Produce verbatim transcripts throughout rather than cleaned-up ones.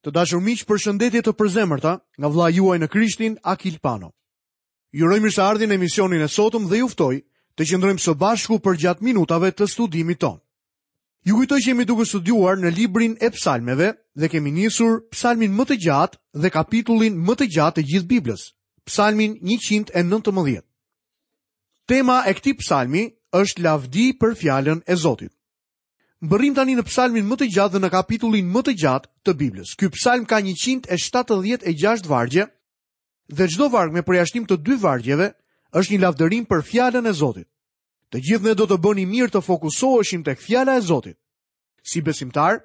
Të dashur miq, përshëndetje të përzemërta nga vëllai juaj në Krishtin, Akil Pano. Ju uroj mirëseardhjen në emisionin e sotëm dhe ju ftoj të qëndrojmë së bashku përgjatë minutave të studimit tonë. Ju kujtoj që jemi duke studiuar në librin e Psalmeve dhe kemi nisur psalmin më të gjatë dhe kapitullin më të gjatë të gjithë Biblës, Psalmin njëqind e nëntëmbëdhjetë. Tema e këtij psalmi është lavdi për fjalën e Zotit. Mbërrim tani në psalmin më të gjatë dhe në kapitullin më të gjatë të Biblës. Ky psalm ka njëqind e shtatëdhjetë e gjashtë vargje dhe çdo varg me përjashtim të dy vargjeve është një lavdërim për fjalën e Zotit. Të gjithë ne do të bënim mirë të fokusoheshim tek fjala e Zotit. Si besimtar,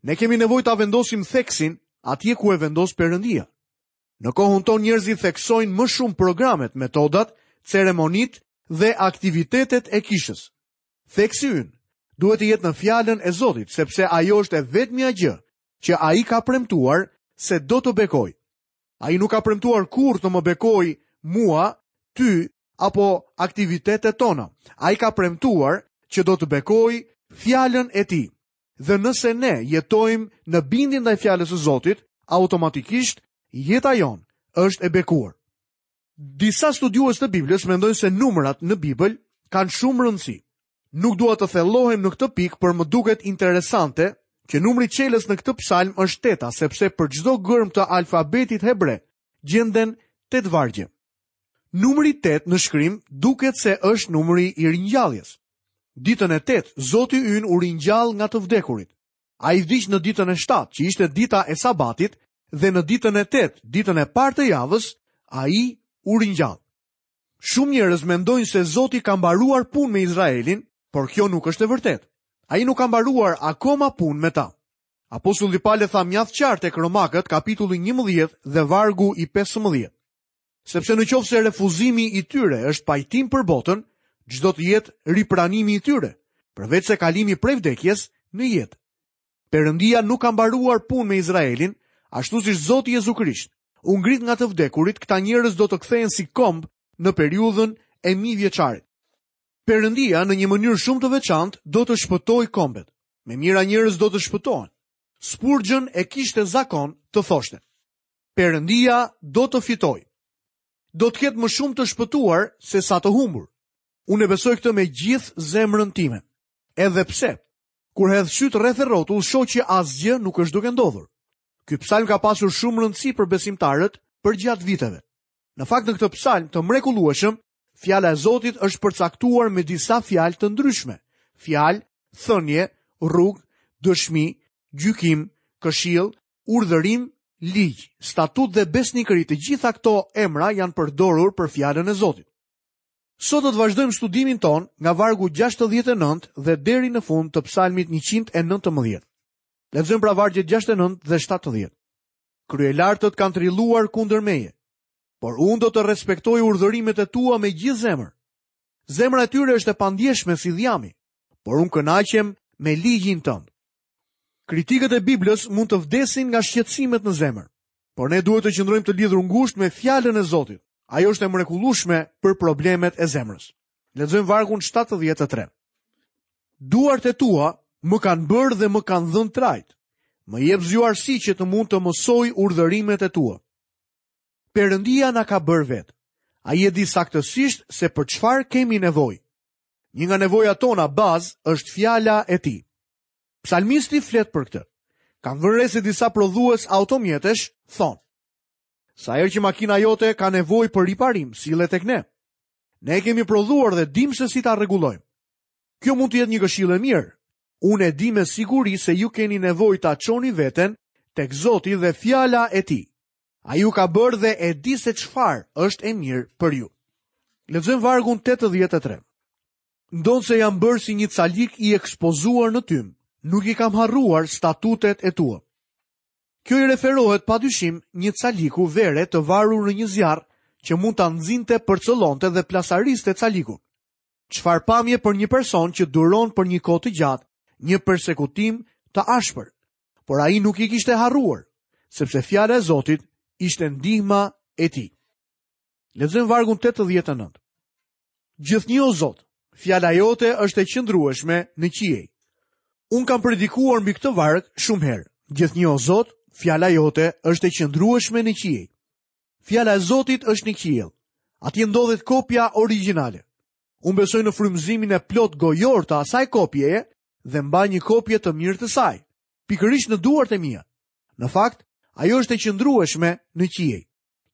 ne kemi nevojë ta vendosim theksin atje ku e vendos Perëndia. Në kohën tonë njerëzit theksojnë më shumë programet, metodat, ceremonitë dhe aktivitetet e kishës. Theksi ynë duhet të jetë në fjalën e Zotit, sepse ajo është e vetmja gjë që ai ka premtuar se do të bekojë. Ai nuk ka premtuar kurrë të më bekojë mua, ty apo aktivitetet tona. Ai ka premtuar që do të bekojë fjalën e tij. Dhe nëse ne jetojmë në bindje ndaj fjalës së Zotit, automatikisht jeta jonë është e bekuar. Disa studiues të Biblës mendojnë se numrat në Bibël kanë shumë rëndësi. Nuk dua të thellohem në këtë pikë, por më duket interesante që numri çelës në këtë psalm është teta, sepse për çdo gërm të alfabetit hebre gjenden tetë vargje. Numri tetë në shkrim duket se është numri i ringjalljes. Ditën e tetë, Zoti ynë u ringjall nga të vdekurit. Ai vdiq në ditën e shtatë, që ishte dita e sabatit, dhe në ditën e tetë, ditën e parë të javës, ai u ringjall. Shumë njerëz mendojnë se Zoti ka mbaruar punë me Izraelin, por kjo nuk është e vërtetë. Ai nuk ka mbaruar akoma punë me ta. Apostulli Paul e tha mjaft qartë tek Romakët, kapitulli njëmbëdhjetë dhe vargu i pesëmbëdhjetë. Sepse në qoftë se refuzimi i tyre është pajtim për botën, ç'do të jetë ripranimi i tyre, përveç se kalimi prej vdekjes në jetë. Perëndia nuk ka mbaruar punë me Izraelin, ashtu siç Zoti Jezu Krisht u ngrit nga të vdekurit, këta njerëz do të kthehen si komb në periudhën e mijëvjeçarit. Perëndia në një mënyrë shumë të veçantë do të shpëtojë kombet. Me mijëra njerëz do të shpëtohen. Spurgeon e kishte zakon të thoshte: Perëndia do të fitojë. Do të ketë më shumë të shpëtuar se sa të humbur. Unë e besoj këtë me gjithë zemrën time. Edhe pse, kur hedh syt rreth e rrotull, shoh që asgjë nuk është duke ndodhur. Ky psalm ka pasur shumë rëndësi për besimtarët përgjatë viteve. Në fakt, në këtë psalm të mrekullueshëm, fjala e Zotit është përcaktuar me disa fjalë të ndryshme. Fjalë, thënie, rrugë, dëshmi, gjykim, këshill, urdhërim, ligj, statut dhe besnikëri. Të gjitha këto emra janë përdorur për fjalën e Zotit. Sot do të vazhdojmë studimin ton nga vargu gjashtëdhjetë e nëntë dhe deri në fund të psalmit njëqind e nëntëmbëdhjetë. Lexojmë pra vargjet gjashtëdhjetë e nëntë dhe shtatëdhjetë. Kryelartët kanë trilluar kundër meje, por unë do të respektoj urdhërimet e tua me gjithë zemër. Zemra e tyre është e pandjeshme si dhjami, por unë kënaqem me ligjin tënd. Kritikët e Biblës mund të vdesin nga shqetësimet në zemër, por ne duhet të qëndrojmë të lidhur ngushtë me fjalën e Zotit. Ajo është e mrekullueshme për problemet e zemrës. Lexojmë vargun shtatëdhjetë e tre. Duart e tua më kanë bërë dhe më kanë dhënë trajt. Më jep zgjuarsi që të mund të mësoj urdhërimet e tua. Perëndia na ka bërë vetë. Ai e di saktësisht se për çfarë kemi nevojë. Një nga nevojat tona bazë është fjala e tij. Psalmisti flet për këtë. Kam vënë re se disa prodhues automjetesh thonë: Sa herë që makina jote ka nevojë për riparim, sillet tek ne. Ne e kemi prodhuar dhe dim se si ta rregullojmë. Kjo mund të jetë një këshillë e mirë. Unë e di me siguri se ju keni nevojë ta çoni veten tek Zoti dhe fjala e tij. Ai ju ka bërë dhe e di se çfarë është e mirë për ju. Lexojmë vargun tetëdhjetë e tre. Ndonse jam bërë si një calik i ekspozuar në tym, nuk i kam harruar statutet e tua. Kjo i referohet padyshim një caliku vere të varur në një zjarr që mund ta nxinte, përcëllonte dhe plasariste calikun. Çfarë pamje për një person që duron për një kohë të gjatë një persekutim të ashpër, por ai nuk i kishte harruar, sepse fjala e Zotit ishte ndihma e tij. Lexojmë vargun tetëdhjetë e nëntë. Gjithnjë, o Zot, fjala jote është e qëndrueshme në qiej. Unë kam predikuar mbi këtë varg shumë herë. Gjithnjë, o Zot, Fjala jote është e qëndrueshme në qiej. Fjala e Zotit është në qiell. Atje ndodhet kopja origjinale. Unë besoj në frymëzimin e plot gojor të asaj kopjeje dhe mbaj një kopje të mirë të saj, pikërisht në duart e mia. Në fakt, ajo është e qëndrueshme në qiej.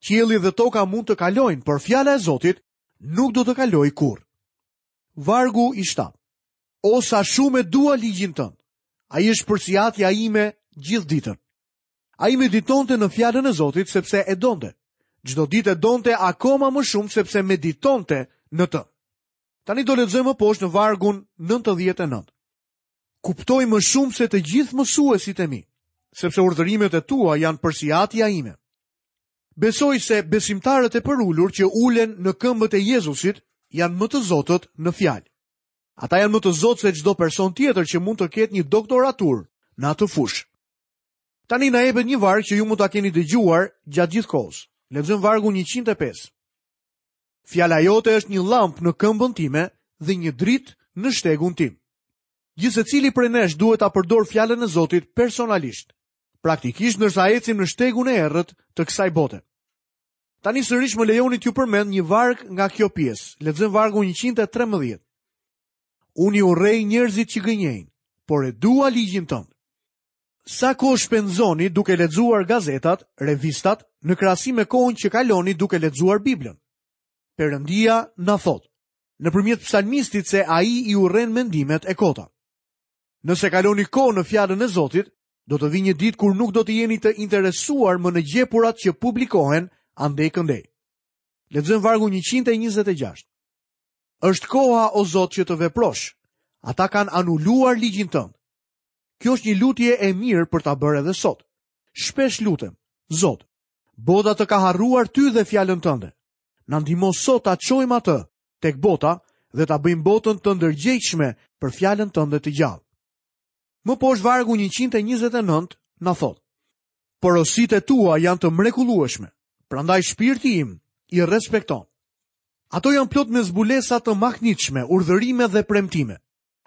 Qielli dhe toka mund të kalojnë, por fjala e Zotit nuk do të kalojë kurrë. Vargu i shtatë. O sa shumë e dua ligjin tënd. Ai është përsiatja ime gjithë ditën. Ai meditonte në fjalën e Zotit sepse e donte. Çdo ditë e donte akoma më shumë sepse meditonte në të. Tani do lexojmë më poshtë në vargun nëntëdhjetë e nëntë. Kuptoj më shumë se të gjithë mësuesit e mi, sepse urdhërimet e tua janë përsiatja ime. Besoj se besimtarët e përulur që ulen në këmbët e Jezusit janë më të zotët në fjalë. Ata janë më të zotë se çdo person tjetër që mund të ketë një doktoraturë në atë fushë. Tani na jepet një varg që ju mund ta keni dëgjuar gjatë gjithë kohës. Lexojmë vargun njëqind e pesë. Fjala jote është një llampë në këmbën time dhe një dritë në shtegun tim. Gjithsecili prej nesh duhet ta përdor fjalën e Zotit personalisht, praktikisht ndërsa ecim në shtegun e errët të kësaj bote. Tani sërish më lejoni t'ju përmend një varg nga kjo pjesë. Lexojmë vargun njëqind e trembëdhjetë. Unë i urrej njerëzit që gënjejnë, por e dua ligjin tënd. Sa kohë shpenzoni duke lexuar gazetat, revistat, në krahasim me kohën që kaloni duke lexuar Biblën? Perëndia na thotë, nëpërmjet psalmistit, se ai i urren mendimet e kota. Nëse kaloni kohë në fjalën e Zotit, do të vi një ditë kur nuk do të jeni të interesuar më në gjepurat që publikohen andej këndej. Lexojmë vargun njëqind e njëzet e gjashtë. Është koha, o Zot, që të veprosh. Ata kanë anuluar ligjin tënd. Kjo është një lutje e mirë për ta bërë edhe sot. Shpesh lutem, Zot, bota të ka harruar ty dhe fjalën tënde. Na ndihmo sot ta çojmë atë tek bota dhe ta bëjmë botën të ndërgjegjshme për fjalën tënde të gjallë. Më poshtë vargu njëqind e njëzet e nëntë na thotë: Porositë e tua janë të mrekullueshme, prandaj shpirti im i respekton. Ato janë plot me zbulesa të mahnitshme, urdhërime dhe premtime.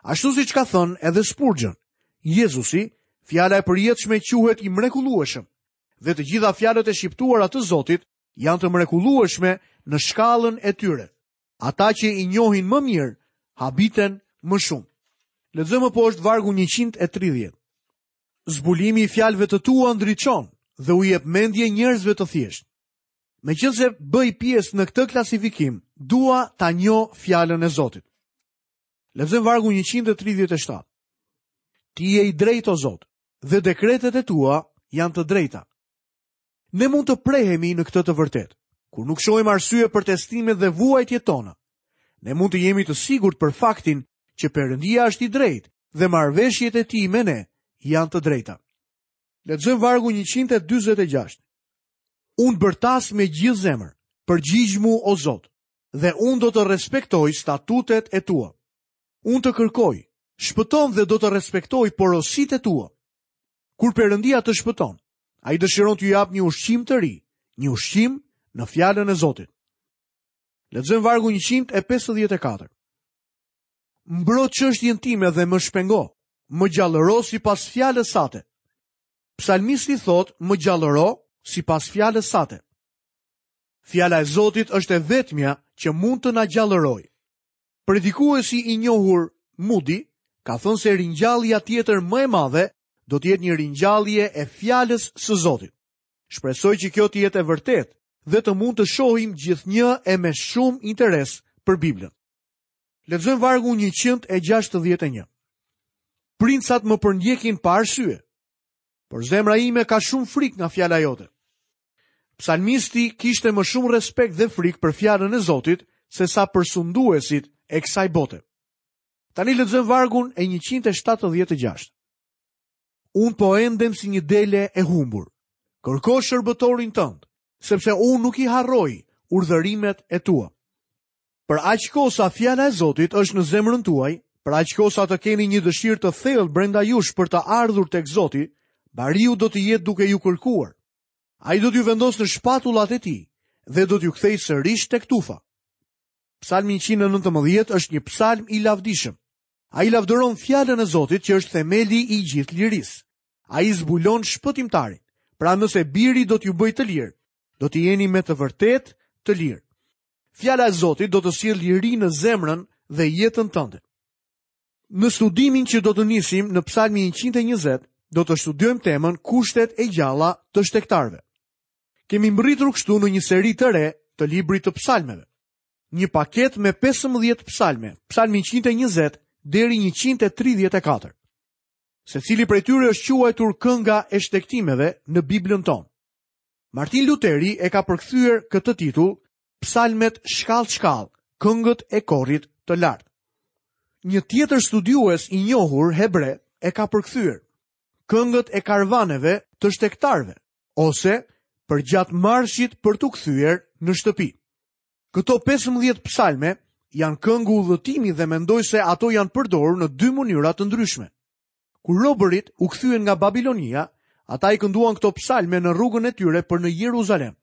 Ashtu siç ka thënë edhe Spurgeon, Jezusi, fjala e përjetshme, quhet i mrekullueshëm, dhe të gjitha fjalët e shqiptuara të Zotit janë të mrekullueshme në shkallën e tyre. Ata që i njohin më mirë, habiten më shumë. Lexojmë më poshtë vargu njëqind e tridhjetë. Zbulimi i fjalëve të tua ndriçon dhe u jep mendje njerëzve të thjeshtë. Meqense bëj pjesë në këtë klasifikim, dua ta njoh fjalën e Zotit. Lexojmë vargu njëqind e tridhjetë e shtatë. Ti je i drejtë, o Zot, dhe dekretet e tua janë të drejta. Ne mund të prehemi në këtë të vërtetë, kur nuk shohim arsye për testimet dhe vuajtjet tona. Ne mund të jemi të sigurt për faktin që Perëndia është i drejtë dhe marrëveshjet e tij me ne janë të drejta. Lexojmë vargu njëqind e dyzet e gjashtë. Unë bërtas me gjithë zemër, përgjigjmu o Zot, dhe unë do të respektoj statutet e tua. Unë të kërkoj, shpëton dhe do të respektoj porositë e tua. Kur Perëndia të shpëton, ai dëshiron t'ju japë një ushqim të ri, një ushqim në fjalën e Zotit. Lexojmë vargu njëqind e pesëdhjetë e katër. Mbro çështjen time dhe më shpengo, më gjallëro sipas fjalës sate. Psalmisti thot, më gjallëro sipas fjalës sate. Fjala e Zotit është e vetmja që mund të na gjallërojë. Predikuesi i njohur Moody ka thënë se ringjallja tjetër më e madhe do të jetë një ringjallje e fjalës së Zotit. Shpresoj që kjo të jetë e vërtetë dhe të mund të shohim gjithnjë e me shumë interes për Biblën. Lexojmë vargun njëqind e gjashtëdhjetë e një. Princat më përndjekin pa arsye, por zemra ime ka shumë frikë nga fjala jote. Psalmisti kishte më shumë respekt dhe frikë për fjalën e Zotit se sa për sunduesit e kësaj bote. Tani lexojmë vargun e njëqind e shtatëdhjetë e gjashtë. Unë po endem si një dele e humbur. Kërko shërbëtorin tënd, sepse unë nuk i harroj urdhërimet e tua. Për aq kohë sa fjala e Zotit është në zemrën tuaj, për aq kohë sa të keni një dëshirë të thellë brenda jush për të ardhur tek Zoti, bariu do të jetë duke ju kërkuar. Ai do t'ju vendosë në shpatullat e tij dhe do t'ju kthejë sërish tek tufa. Psalmi njëqind e nëntëmbëdhjetë është një psalm i lavdishëm. Ai lavdëron fjalën e Zotit që është themeli i gjithë lirisë. Ai zbulon shpëtimtarin, Pra nëse biri do t'ju bëjë të lirë, do të jeni me të vërtetë të lirë. Fjala e Zotit do të sjellë liri në zemrën dhe jetën tënde. Në studimin që do të nisim në Psalmin njëqind e njëzet, do të studiojmë temën kushtet e gjalla të shtegtarëve. Kemi mbërritur kështu në një seri të re të librit të psalmeve. Një paket me pesëmbëdhjetë psalme, Psalmi njëqind e njëzet deri njëqind e tridhjetë e katër. Secili prej tyre është quajtur kënga e shtegtimeve në Biblën tonë. Martin Luteri e ka përkthyer këtë titull Psalmet shkallë shkallë, këngët e korit të lartë. Një tjetër studiues i njohur hebre e ka përkthyer këngët e karvaneve të shtegtarëve ose përgjatë marshit për t'u kthyer në shtëpi. Këto pesëmbëdhjetë psalme janë këngë udhëtimi dhe mendoj se ato janë përdorur në dy mënyra të ndryshme. Kur robërit u kthyen nga Babilonia, ata i kënduan këto psalme në rrugën e tyre për në Jeruzalem.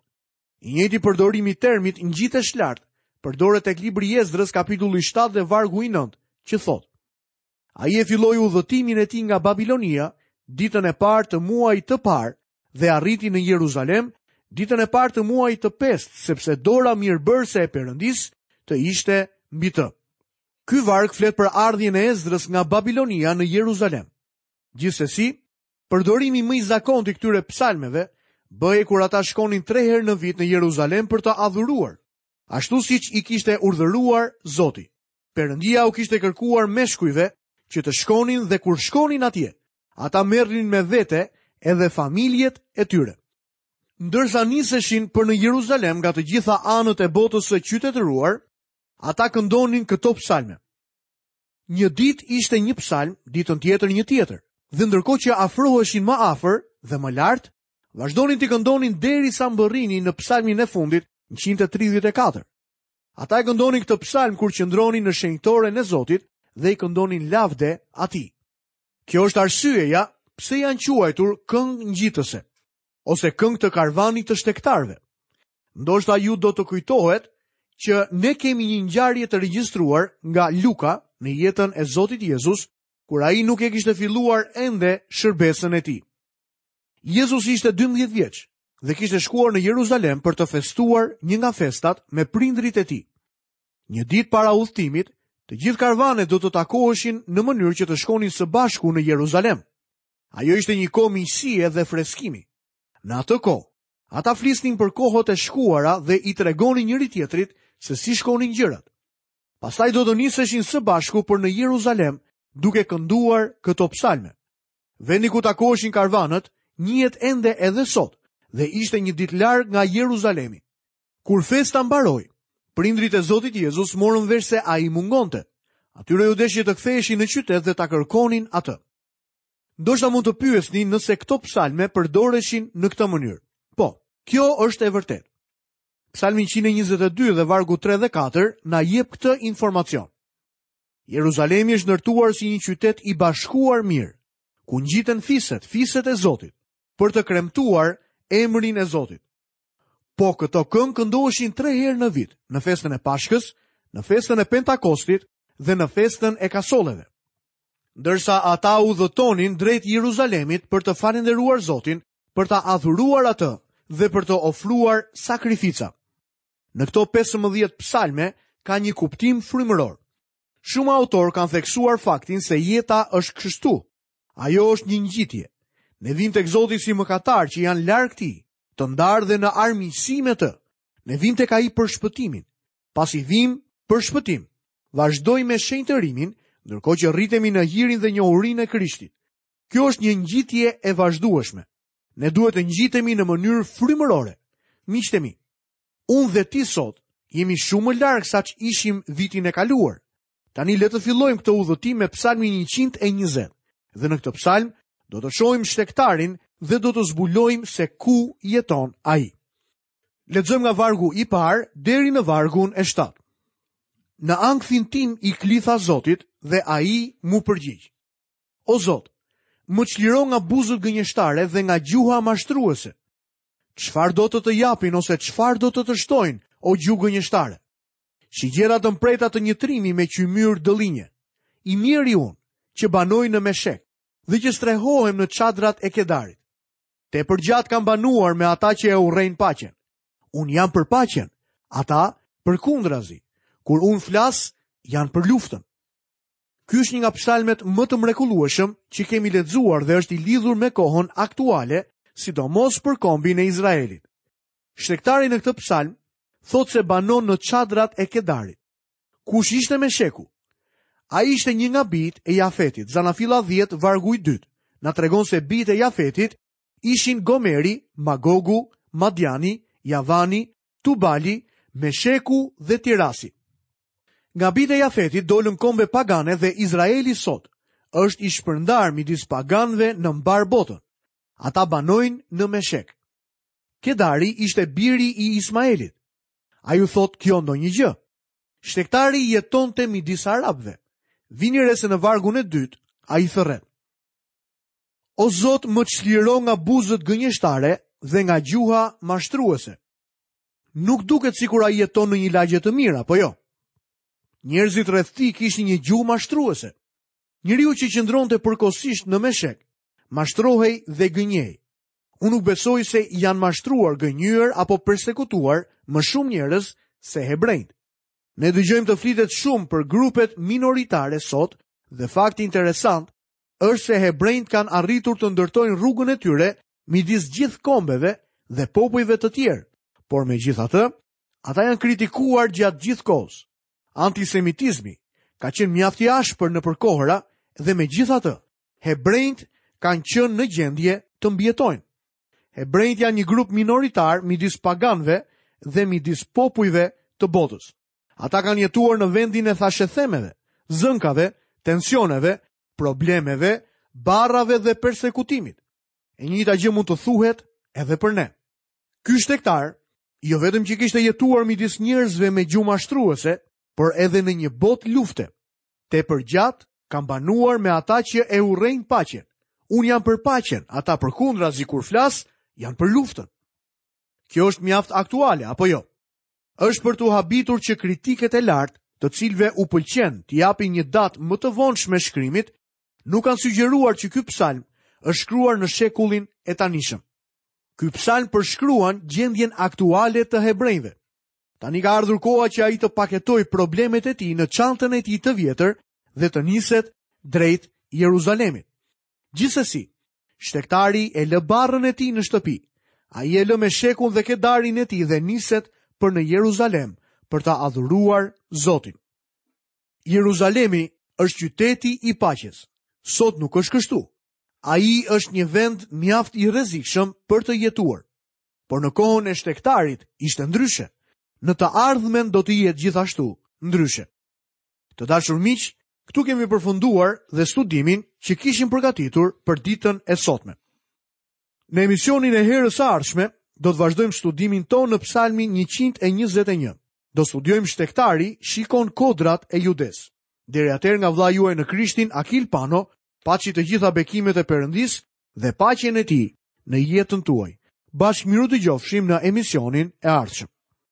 I njëjti përdorim i termit ngjitesh lart, përdoret tek libri i Ezdrës kapitulli shtatë dhe vargu i nëntë, që thotë: Ai e filloi udhëtimin e tij nga Babilonia ditën e parë të muajit të parë dhe arriti në Jeruzalem ditën e parë të muajit të pestë, sepse dora mirëbërëse e Perëndisë të ishte mbi të. Ky varg flet për ardhjen e Ezdrës nga Babilonia në Jeruzalem. Gjithsesi, përdorimi më i zakontë i këtyre psalmeve bëhej kur ata shkonin tre herë në vit në Jeruzalem për të adhuruar, ashtu siç i kishte urdhëruar Zoti. Perëndia u kishte kërkuar meshkujve që të shkonin dhe kur shkonin atje, ata merrnin me vete edhe familjet e tyre. Ndërsa niseshin për në Jeruzalem nga të gjitha anët e botës së qytetëruar, ata këndonin këto psalme. Një ditë ishte një psalm, ditën tjetër një tjetër, dhe ndërkohë që afroheshin më afër dhe më lart, vazhdonin t'i këndonin derisa mbërrinin në psalmin e fundit, njëqind e tridhjetë e katër. Ata e këndonin këtë psalm kur qëndronin në shenjtoren e Zotit dhe i këndonin lavde atij. Kjo është arsyeja pse janë quajtur këngë ngjitëse ose këngë të karvanit të shtegtarëve. Ndoshta ju do të kujtohet që ne kemi një ngjarje të regjistruar nga Luka në jetën e Zotit Jezus, kur ai nuk e kishte filluar ende shërbesën e tij. Jezus ishte dymbëdhjetë vjeç dhe kishte shkuar në Jeruzalem për të festuar një nga festat me prindrit e tij. Një ditë para udhëtimit, të gjithë karvanet do të takoheshin në mënyrë që të shkonin së bashku në Jeruzalem. Ajo ishte një kohë miqësie dhe freskimi. Në atë kohë, ata flisnin për kohët e shkuara dhe i tregonin njëri tjetrit se si shkonin gjërat. Pastaj do të niseshin së bashku për në Jeruzalem duke kënduar këto psalme. Vendi ku takoheshin karvanët njihet ende edhe sot dhe ishte një ditë larg nga Jeruzalemi. Kur festa mbaroi, prindrit e Zotit Jezus morën vesh se ai mungonte. Atyre ju deshi të ktheheshin në qytet dhe ta kërkonin atë. Ndoshta mund të pyesni nëse këto psalme përdoreshin në këtë mënyrë. Po, kjo është e vërtetë. Psalmi njëqind e njëzet e dy dhe vargu tre dhe katër na jep këtë informacion. Jeruzalemi është ndërtuar si një qytet i bashkuar mirë, ku ngjiten fiset, fiset e Zotit, për të kremtuar emrin e Zotit. Po këto këngë këndoheshin tre herë në vit, në festën e Pashkës, në festën e Pentakostit dhe në festën e Kasolleve. Ndërsa ata udhëtonin drejt Jeruzalemit për të falënderuar Zotin, për ta adhuruar atë dhe për të ofruar sakrifica. Në këto pesëmbëdhjetë psalme ka një kuptim frymëror. Shumë autor kanë theksuar faktin se jeta është kështu. Ajo është një ngjitje. Ne vim tek Zoti si mëkatar që janë larg tij, të ndarë dhe në armiqësi me të. Ne vim tek ai për shpëtimin. Pasi vim për shpëtim, vazhdojmë me shenjtërimin, ndërkohë që rritemi në hirin dhe njohurinë e Krishtit. Kjo është një ngjitje e vazhdueshme. Ne duhet të ngjitemi në mënyrë frymërore. Miqtë e mi, unë dhe ti sot jemi shumë më larg sa ç'ishim vitin e kaluar. Tani le të fillojmë këtë udhëtim me Psalmin njëqind e njëzet. Dhe në këtë psalm do të shohim shtegtarin dhe do të zbulojmë se ku jeton ai. Lexojmë nga vargu i parë deri në vargun e shtatë. Në ankthin tim i klitha Zotit dhe ai mu përgjigj. O Zot, më çliro nga buzët gënjeshtare dhe nga gjuha mashtruese. Çfarë do të të japin ose çfarë do të të shtojnë, o gjuhë gënjeshtare? Shigjera të mprehta të një trimi me qymyr dëllinje. I mjeri unë, që banoj në Meshek dhe që strehohem në çadrat e Kedarit. Tepër gjatë kam banuar me ata që e urrejnë paqen. Unë jam për paqen, ata përkundrazi. Kur unë flas, janë për luftën. Ky është një nga psalmet më të mrekullueshëm që kemi lexuar dhe është i lidhur me kohën aktuale, sidomos për kombin e Izraelit. Shtektari në këtë psalm thotë se banon në çadrat e Kedarit. Kush ishte Mesheku? Ai ishte një nga bijtë e Jafetit. Zanafilla dhjetë, vargu i dytë, na tregon se bijtë e Jafetit ishin Gomeri, Magogu, Madiani, Javani, Tubali, Mesheku dhe Tirasi. Nga bijtë e Jafetit dolën kombe pagane dhe Izraeli sot është i shpërndar midis paganëve në mbar botën. Ata banojnë në Meshek. Kedari ishte biri i Ismaelit. A ju thot kjo ndonjë gjë? Shtektari jetonte midis arabëve. Vini re se në vargun e dytë ai thërret: O Zot, më çliro nga buzët gënjeshtare dhe nga gjuha mashtruese. Nuk duket sikur ai jeton në një lagje të mirë, apo jo? Njerëzit rreth tij kishin një gjuhë mashtruese. Njeriu që qëndronte përkohësisht në Meshek, mashtrohej dhe gënjej. Unë nuk besoj se janë mashtruar, gënjyer apo persekutuar më shumë njerëz se hebrejt. Ne dëgjojmë të flitet shumë për grupet minoritare sot dhe fakti interesant është se hebrejt kanë arritur të ndërtojnë rrugën e tyre midis gjithë kombeve dhe popujve të tjerë, por megjithatë, ata janë kritikuar gjatë gjithë kohës. Antisemitizmi ka qenë mjaft i ashpër nëpër kohëra dhe megjithatë, hebrejt kanë qenë në gjendje të mbijetojnë. Hebrejt janë një grup minoritar midis paganëve dhe midis popujve të botës. Ata kanë jetuar në vendin e thashethemeve, zënkave, tensioneve, problemeve, barrave dhe persekutimit. E njëjta gjë mund të thuhet edhe për ne. Ky shtegtar, jo vetëm që kishte jetuar midis njerëzve me gjuhë mashtruese, por edhe në një botë lufte. Tepër gjatë kam banuar me ata që e urrejnë paqen. Unë jam për paqen, ata përkundrazi kur flas, janë për luftën. Kjo është mjaft aktuale, apo jo? Është për t'u habitur që kritiket e lartë, të cilëve u pëlqen t'i japin një datë më të vonshme shkrimit, nuk kanë sugjeruar që ky psalm është shkruar në shekullin e tanishëm. Ky psalm përshkruan gjendjen aktuale të hebrejve. Tani ka ardhur koha që ai të paketojë problemet e tij në çantën e tij të vjetër dhe të niset drejt Jeruzalemit. Gjithsesi, shtektari e lë barrën e tij në shtëpi. Ai e lë Meshekun dhe Kedarin e tij dhe niset për në Jeruzalem për ta adhuruar Zotin. Jeruzalemi është qyteti i paqes. Sot nuk është kështu. Ai është një vend mjaft i rrezikshëm për të jetuar. Por në kohën e shtegtarit ishte ndryshe. Në të ardhmen do të jetë gjithashtu ndryshe. Të dashur miq, këtu kemi përfunduar dhe studimin që kishim përgatitur për ditën e sotme. Në emisionin e herës së ardhshme do të vazhdojmë studimin tonë në Psalmin njëqind e njëzet e një. Do studiojmë shtegtari shikon kodrat e Judes. Deri atëherë nga vëllai juaj në Krishtin, Akil Pano, paçi të gjitha bekimet e Perëndisë dhe paqen e tij në jetën tuaj. Bashkë miru dëgjofshim në emisionin e ardhshëm.